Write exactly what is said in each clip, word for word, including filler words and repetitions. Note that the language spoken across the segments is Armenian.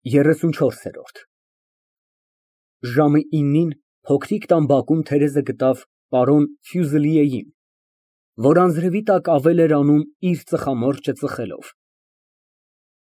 ԵՐԱՆՈՒՆՉՈՐՍԵՐՈՐԴ Ժամը իննին փոքրիկ տան բակում Թերեզը գտավ պարոն Ֆյուզելիեին, որ անձրևի տակ ավել էր անում իր ծխամորճը ծխելով։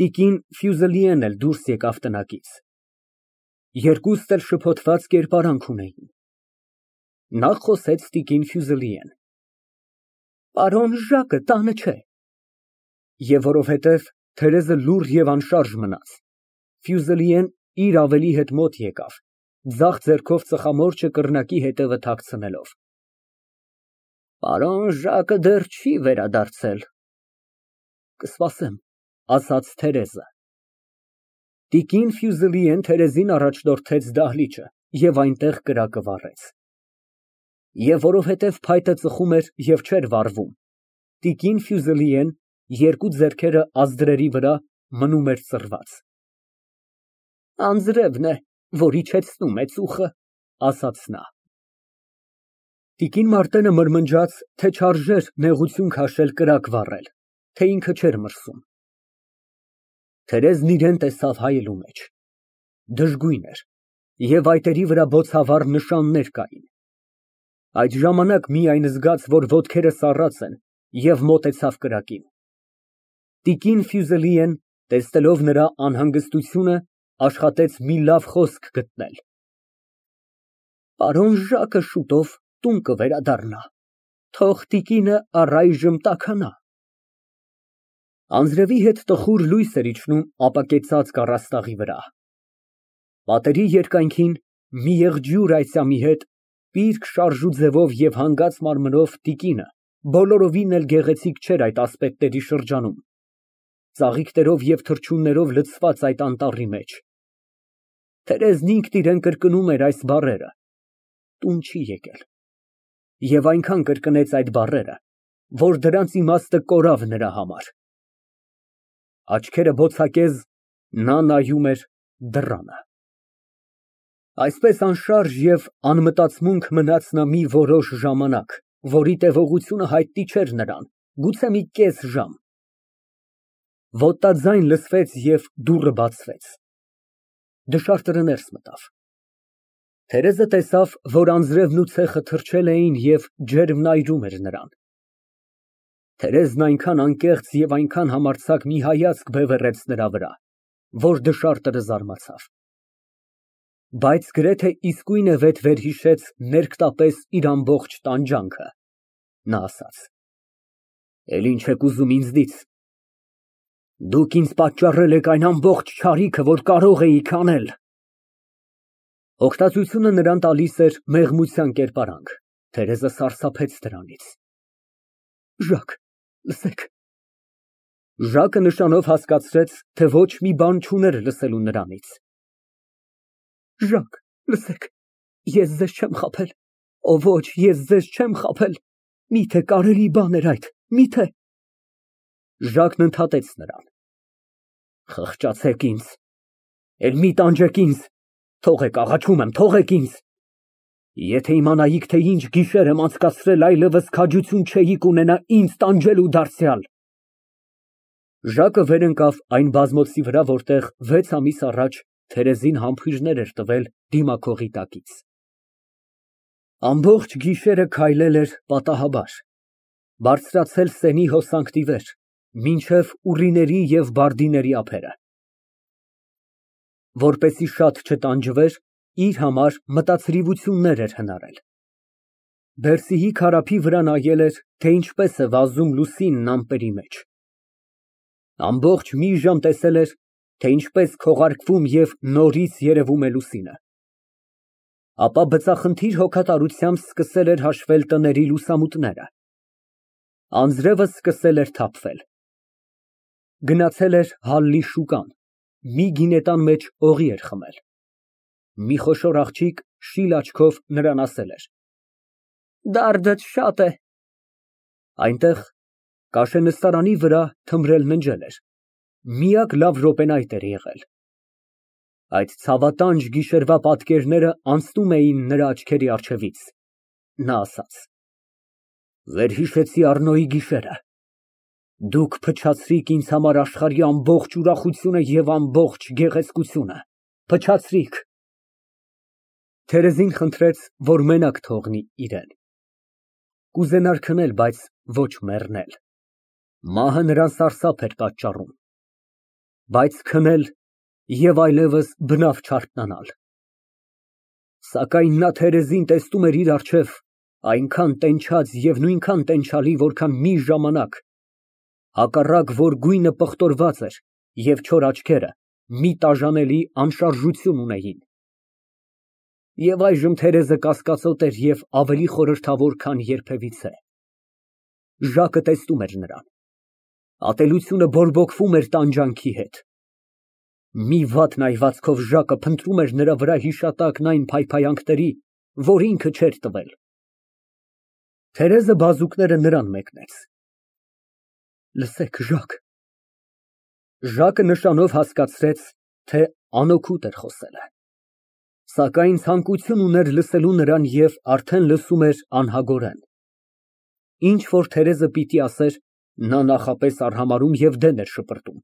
Տիկին Ֆյուզելիեն էլ դուրս եկավ տնակից։ Երկուստ էլ շփոթված կերպարանք ունեին։ Նախ խոսեց տիկին Ֆյուզելիեն. Պարոն Ժակը տանը չէ։ Եվ որովհետև Թերեզը լուռ և անշարժ մնաց, Ֆյուզելիեն իր ավելի հետ մոտ եկավ, ձախ ձեռքով ծխամորճը կռնակի ետևը թաքցնելով։ Պարոն Ժակը դեռ չի վերադարձել։ Կսպասեմ, ասաց Թերեզը։ Տիկին Ֆյուզելիեն Թերեզին առաջնորդեց դահլիճը և այնտեղ կրակը վառեց։ Եվ որովհետև փայտը ծխում էր և չէր վառվում, տիկին Ֆյուզելիեն երկու ձեռքերը ազդրերի վրա մնում էր ծռված։ Անձրևն է, որ իջեցնում է ծուխը, ասաց նա։ Տիկին Մարտենը մրմնջաց, թե չարժեր նեղություն քաշել կրակ վառել, թե ինքը չէր մրսում։ Թերեզն իրան տեսավ հայելու մեջ։ Դժգույն էր և այտերի վրա բոցավառ նշաններ կային։ Այդ ժամանակ միայն զգաց, որ ոտքերը սառած են, և մոտեցավ կրակին։ Տիկին Ֆյուզելիեն, տեսնելով նրա անհանգստությունը, աշխատեց մի լավ խոսք գտնել։ Պարոն Ժակը շուտով տուն կվերադառնա, թող տիկինը առայժմ տաքանա։ Անձրևի հետ տխուր լույս էր իջնում ապակեցած կառաստաղի վրա։ Պատերի երկայնքին, մի եղջյուր այծյամի հետ, պիրկ շարժու ձևով և հանգած մարմնով տիկինը բոլորովին էլ գեղեցիկ չէր այդ ասպետների շրջանում, ծաղիկներով և թռչուններով լցված այդ անտառի մեջ։ Թերեզն ինքն իրան կրկնում էր այս բառերը. տուն չի եկել։ Եվ այնքան կրկնեց այդ բառերը, որ դրանց իմաստը կորավ նրա համար։ Աչքերը բոցակեզ, նա նայում էր դռանը։ Այսպես անշարժ և անմտածմունք մնաց նա մի որոշ ժամանակ, որի տևողությունը հայտնի չէր նրան, գուցե մի կես ժամ։ Ոտնաձայն լսվեց և դուռը բացվեց։ Դշարտը ներս մտավ։ Թերեզը տեսավ, որ անձրևն ու ցեխը թրջել էին և ջերմն այրում էր նրան։ Թերեզն այնքան անկեղծ և այնքան համարձակ մի հայացք բևեռեց նրա վրա, որ դշարտը զարմացավ։ Բայց գրեթե իսկույն է վեթ վերհիշեց ներքտապես իր ամբողջ տանջանքը, նա ասաց. Էլ ինչ եք ուզում ինձնից։ Դուք ինձ պատճառել եք այն ամբողջ չարիքը, որ կարող էիք անել։ Օգտածությունը նրան տալիս էր մեղմության կերպարանք, Թերեզը սարսափեց դրանից։ Ժակ, լսեք։ Ժակը նշանով հասկացրեց, թե ոչ մի բան չուներ լսելու նրանից։ Ժակ, լսեք, ես ձեզ չեմ խաբել, օ ոչ, ես ձեզ չեմ խաբել, միթե կարելի բան էր այդ, միթե։ Ժակն ընդհատեց նրան։ Խղճացեք ինձ, էլ մի տանջեք ինձ, թողեք, աղաչում եմ, թողեք ինձ։ Եթե իմանայիք, թե ինչ գիշեր եմ անցկացրել, այլևս քաջություն չէիք ունենա ինձ տանջելու դարձյալ։ Ժակը վեր ընկավ այն բազմոցի վրա, որտեղ վեց ամիս առաջ Թերեզին համբույրներ էր տվել դիմաքողի տակից։ Ամբողջ գիշերը քայլել էր պատահաբար, բարձրացել սենի հոսանքն ի վեր, մինչև ուռիների և բարդիների ափերը։ Որպեսզի շատ չտանջվեր, իր համար մտացրիվություններ էր հնարել։ Բերսիի քարափի վրա նայել էր, թե ինչպես է վազում լուսինն ամպերի մեջ։ Ամբողջ մի ժամ տեսել էր, թե ինչպես քողարկվում և նորից երևում է լուսինը։ Ապա բծախնդիր հոգատարությամբ սկսել էր հաշվել տների լուսամուտները։ Անձրևը սկսել էր թափվել։ Գնացել էր Հալլի շուկան, մի գինետան մեջ օղի էր խմել։ Մի խոշոր աղջիկ շիլ աչքով նրան ասել էր. Դարդդ շատ է։ Այնտեղ կաշենստարանի վրա թմրել ննջել էր, միակ լավ րոպեն այդ էր եղել։ Այդ ցավատանջ գիշերվա պատկերները անցնում էին նրա աչքերի առջևից, նա ասաց. Վերհիշեցի Առնոյի գիշերը։ Դուք փչացրիք ինձ համար աշխարհի ամբողջ ուրախությունը և ամբողջ գեղեցկությունը, փչացրիք… (Թերեզին խնդրեց, որ մենակ թողնի իրան)։ Կուզենար քնել, բայց ոչ մեռնել, մահը նրան սարսափ էր պատճառում, բայց քնել և այլևս բնավ չարթնանալ։ Սակայն նա Թերեզին տեսնում էր իր առջև այնքան տենչած և նույնքան տենչալի, որքան մի ժամանակ, հակառակ, որ գույնը պղտորված էր և չոր աչքերը մի տաժանելի անշարժություն ունեին։ Եվ այժմ Թերեզը կասկածոտ էր և ավելի խորհրդավոր, քան երբևիցե։ Ժակը տեսնում էր նրան, ատելությունը բորբոքվում էր տանջանքի հետ։ Մի վատ նայվածքով Ժակը փնտրում էր նրա վրա հիշատակն այն փայփայանքների, որ ինքը չէր տվել։ Թերեզը բազուկները նրան մեկնեց։ Լսեք, Ժակ… (Ժակը նշանով հասկացրեց, թե անօգուտ էր խոսելը, սակայն ցանկություն ուներ լսելու նրան և արդեն լսում էր անհագորեն։ Ինչ որ Թերեզը պիտի ասեր, նա նախապես արհամարհում և դեն էր շպրտում,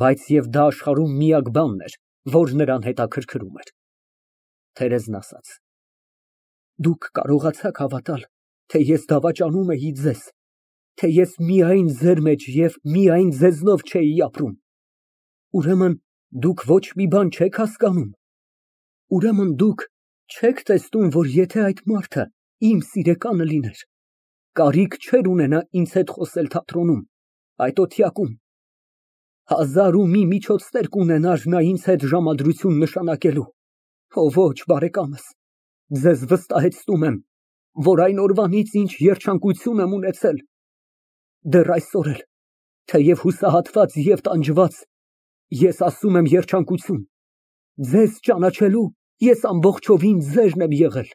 բայց և դա աշխարհում միակ բանն էր, որ նրան հետաքրքրում էր)։ Թերեզն ասաց. Դուք կարողացաք հավատալ, թե ես դավաճանում էի ձեզ, թե ես միայն ձեր մեջ և միայն ձեզնով չէի ապրում։ Ուրեմն դուք ոչ մի բան չեք հասկանում։ Ուրեմն դուք չեք տեսնում, որ եթե այդ մարդը իմ սիրեկանը լիներ, կարիք չէր ունենա ինձ հետ խոսել թատրոնում, այդ օթյակում, հազար ու մի միջոցներ կունենար նա ինձ հետ ժամադրություն նշանակելու։ Օ ոչ, բարեկամս, ձեզ վստահեցնում եմ, որ այն օրվանից, ինչ երջանկություն եմ ունեցել, դեռ այսօր էլ, թեև հուսահատված և տանջված, ես ասում եմ երջանկություն, ձեզ ճանաչելու ես ամբողջովին ձերն եմ եղել։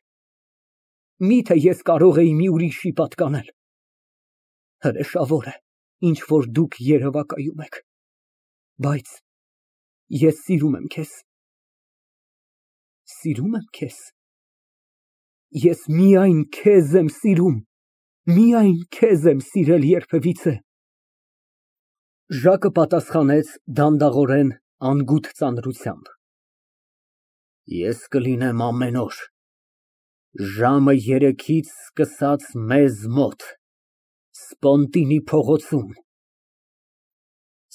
Միթե ես կարող էի մի ուրիշի պատկանել։ Հրեշավոր է, ինչ որ դուք երևակայում եք, բայց ես սիրում եմ քեզ։ Սիրում եմ քեզ։ Ես միայն քեզ եմ սիրում, միայն քեզ եմ սիրել երբևիցե։ (Պատասխանեց դանդաղորեն, անգութ ծանրությամբ) Ես կլինեմ ամեն օր, ժամը երեքից սկսած մեզ մոտ, Սպոնտինի փողոցում։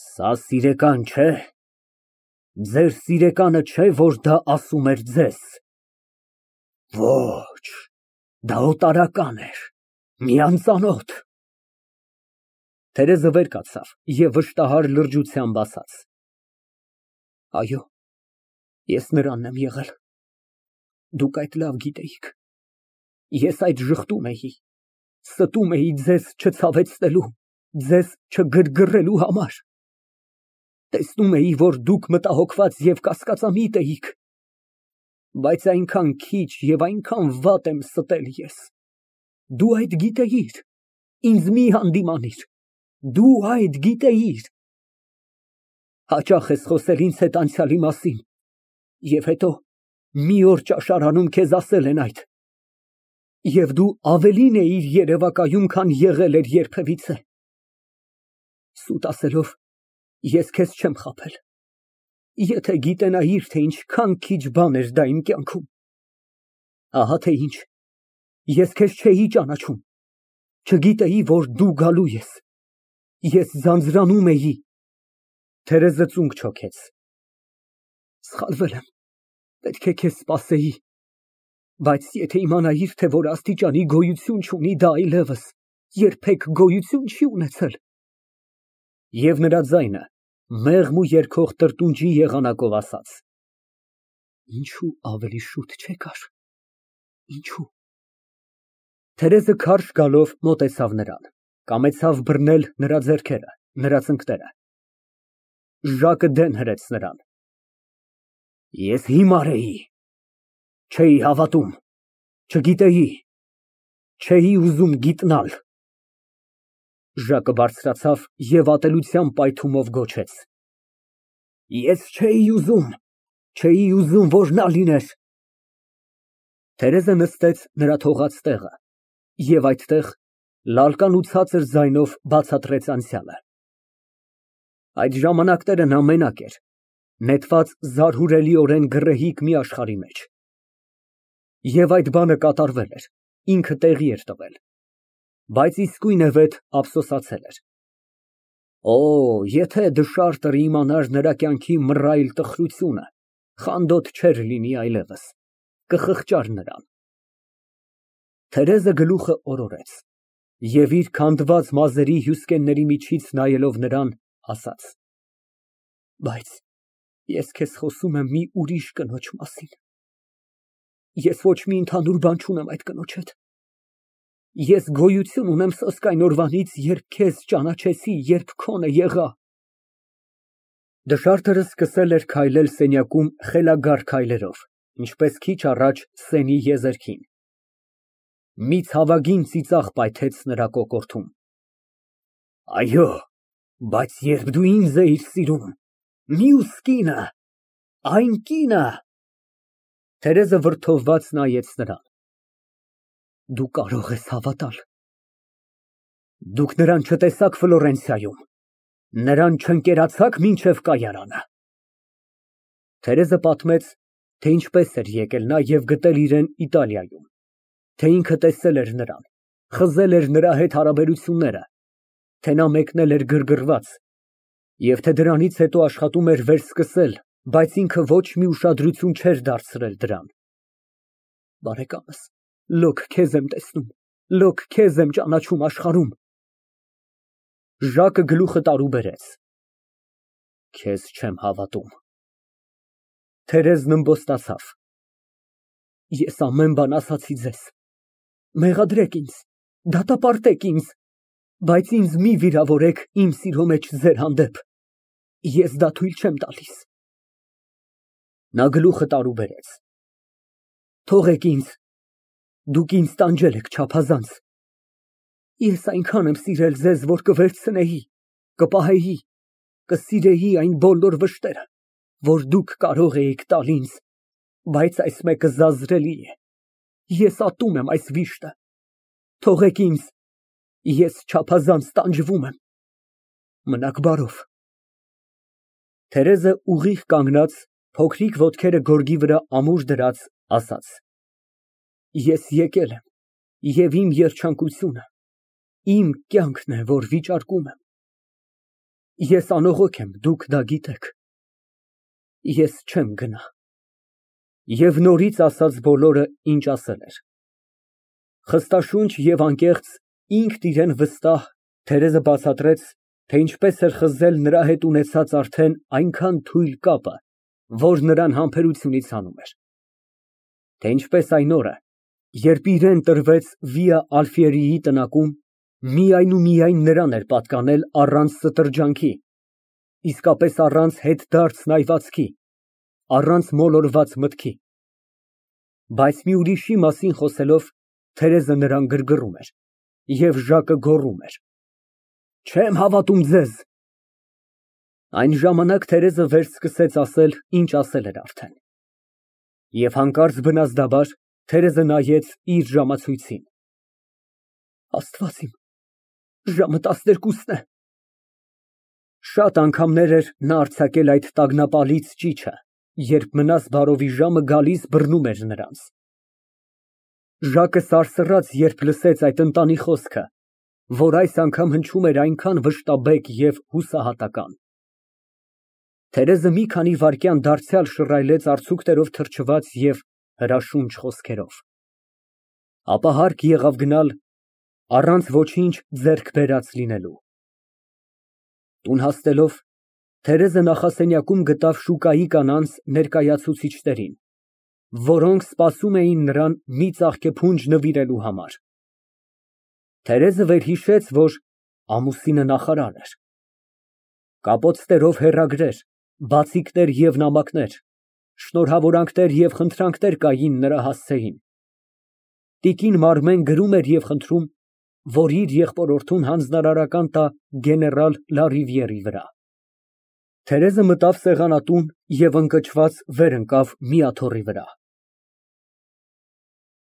Սա սիրեկան չէ՞։ Ձեր սիրեկանը չէ՞, որ դա ասում էր ձեզ։ Ոչ, դա օտարական էր, մի անծանոթ։ (Թերեզը վեր կացավ և վշտահար լրջությամբ ասաց) Այո, ես նրանն եմ եղել, դուք այդ լավ գիտեիք։ Ես այդ ժխտում էի, ստում էի ձեզ չցավեցնելու, ձեզ չգրգռելու համար։ Տեսնում էի, որ դուք մտահոգված և կասկածամիտ էիք, բայց այնքան քիչ և այնքան վատ եմ ստել ես։ Դու այդ գիտեիր, ինձ մի հանդիմանիր, դու այդ գիտեիր։ Հաճախ ես խոսել ինձ հետ անցյալի մասին, և հետո մի օր ճաշարանում քեզ ասել են այդ, և դու ավելին էիր երևակայում, քան եղել էր երբևիցե։ Սուտ ասելով, ես քեզ չեմ խաբել, եթե գիտենայիր, թե ինչքան քիչ բան էր դա իմ կյանքում։ Ահա թե ինչ, ես քեզ չէի ճանաչում, չգիտեի, որ դու գալու ես, ես ձանձրանում էի։ (Թերեզը ծունկ չոքեց) Սխալվել եմ, պետք է քեզ սպասեի, բայց եթե իմանայիր, թե որ աստիճանի գոյություն չունի դա այլևս, երբեք գոյություն չի ունեցել։ (Եվ նրա ձայնը մեղմ ու երգող տրտունջի եղանակով ասաց) Ինչո՞ւ ավելի շուտ չեկար, ինչո՞ւ։ (Թերեզը քարշ գալով մոտեցավ նրան, կամեցավ բռնել նրա ձեռքերը, նրա ծնկները)։ Ժակը դեն հրեց նրան։ Ես հիմար էի, չէի հավատում, չգիտեի, չէի ուզում գիտնալ։ (Ժակը բարձրացավ և ատելությամբ պայթումով գոչեց) Ես չէի ուզում, չէի ուզում, որ նա լիներ։ (Թերեզը նստեց նրա թողած տեղը և այդտեղ լալկան ու ցածր ձայնով բացատրեց անցյալը)։ Այդ ժամանակները նա մենակ էր, նետված զարհուրելիորեն գռեհիկ մի աշխարհի մեջ։ Եվ այդ բանը կատարվել էր, ինքը տեղի էր տվել, բայց իսկույնևեթ ափսոսացել էր։ Օ, եթե դշարտը իմանար նրա կյանքի մռայլ տխրությունը, խանդոտ չէր լինի այլևս, կխղճար նրան։ Թերեզը գլուխը օրորեց և իր քանդված մազերի հյուսկենների միջից նայելով նրան, ասաց. Բայց ես քեզ խոսում եմ մի ուրիշ կնոջ մասին։ Ես ոչ մի ընդհանուր բան չունեմ այդ կնոջ հետ։ Ես գոյություն ունեմ սոսկ այն օրվանից, երբ քեզ ճանաչեցի, երբ քոնը եղա։ Դշարտը սկսել էր քայլել սենյակում խելագար քայլերով, ինչպես քիչ առաջ սենի եզերքին։ Մի ցավագին ծիծաղ պայթեց նրա կոկորդում։ Այո, բայց երբ դու ինձ էիր սիրում, մյուս կինը, այն կինը… Թերեզը վրդովված նայեց նրան։ Դու կարող ես հավատալ։ Դուք նրան չտեսաք Ֆլորենցիայում, նրան չընկերացաք մինչև կայարանը։ Թերեզը պատմեց, թե ինչպես էր եկել նա և գտել իրեն Իտալիայում, թե ինքը տեսել էր նրան, խզել էր նրա հետ հարաբերությունները, թե նա մեկնել էր գրգռված, և թե դրանից հետո աշխատում էր վերսկսել, բայց ինքը ոչ մի ուշադրություն չէր դարձրել դրան։ Բարեկամս, լոկ քեզ եմ տեսնում, լոկ քեզ եմ ճանաչում աշխարհում։ Ժակը գլուխը տարուբերեց։ Քեզ չեմ հավատում։ Թերեզն ըմբոստացավ։ Ես ամեն բան ասացի ձեզ։ Մեղադրեք ինձ, դատապարտեք ինձ, բայց ինձ մի վիրավորեք իմ սիրո մեջ ձեր հանդեպ։ Ես դա թույլ չեմ տալիս։ Նա գլուխը տարուբերեց։ Թողեք ինձ, դուք ինձ տանջել եք չափազանց։ Ես այնքան եմ սիրել ձեզ, որ կվերցնեի, կպահեի, կսիրեի այն բոլոր վշտերը, որ դուք կարող էիք տալ ինձ, բայց այս մեկը զազրելի է։ Ես ատում եմ այս վիշտը։ Թողեք ինձ, ես չափազանց տանջվում եմ։ Մնաք բարով։ Թերեզը ուղիղ կանգնած, փոքրիկ ոտքերը գորգի վրա ամուր դրած, ասաց. Ես եկել եմ, և իմ երջանկությունը, իմ կյանքն է, որ վիճարկում եմ։ Ես անողոք եմ, դուք դա գիտեք։ Ես չեմ գնա։ Եվ նորից ասաց բոլորը, ինչ ասել էր։ Խստաշունչ և անկեղծ, ինքն իրեն վստահ, Թերեզը բացատրեց, թե ինչպես էր խզել նրա հետ ունեցած արդեն այնքան թույլ կապը, որ նրան համբերությունից հանում էր, թե ինչպես այն օրը, երբ իրան տրվեց Վիա Ալֆիերիի տնակում, միայն ու միայն նրան էր պատկանել առանց ստրջանքի, իսկապես առանց հետդարձ նայվածքի, առանց մոլորված մտքի։ Բայց մի ուրիշի մասին խոսելով, Թերեզը նրան գրգռում էր, և Ժակը գոռում էր. Չեմ հավատում ձեզ։ Այն ժամանակ Թերեզը վերսկսեց ասել, ինչ ասել էր արդեն։ Եվ հանկարծ բնազդաբար Թերեզը նայեց իր ժամացույցին։ Աստված իմ, ժամը տասներկուսն է։ Շատ անգամներ էր նա արձակել այդ տագնապալից ճիչը, երբ մնաս բարովի ժամը գալիս բռնում էր նրանց։ Ժակը սարսռաց, երբ լսեց այդ ընտանի խոսքը, որ այս անգամ հնչում էր այնքան վշտաբեկ և հուսահատական։ Թերեզը մի քանի վայրկյան դարձյալ շռայլեց արցուքներով թրջված և հրաշունչ խոսքերով։ Ապա հարկ եղավ գնալ, առանց ոչինչ ձեռք բերած լինելու։ Տուն հասնելով, Թերեզը նախասենյակում գտավ շուկայի կանանց ներկայացուցիչներին, որոնք սպասում էին նրան մի ծաղկեփունջ նվիրելու համար։ Թերեզը վերհիշեց, որ ամուսինը նախարար էր։ Կապոցներով հեռագրեր, բացիկներ և նամակներ, շնորհավորանքներ և խնդրանքներ կային նրա հասցեին։ Տիկին Մարմեն գրում էր և խնդրում, որ իր եղբորորդուն հանձնարարական տա գեներալ Լարիվիերի վրա։ Թերեզը մտավ սեղանատուն և ընկճված վեր ընկավ մի աթոռի վրա։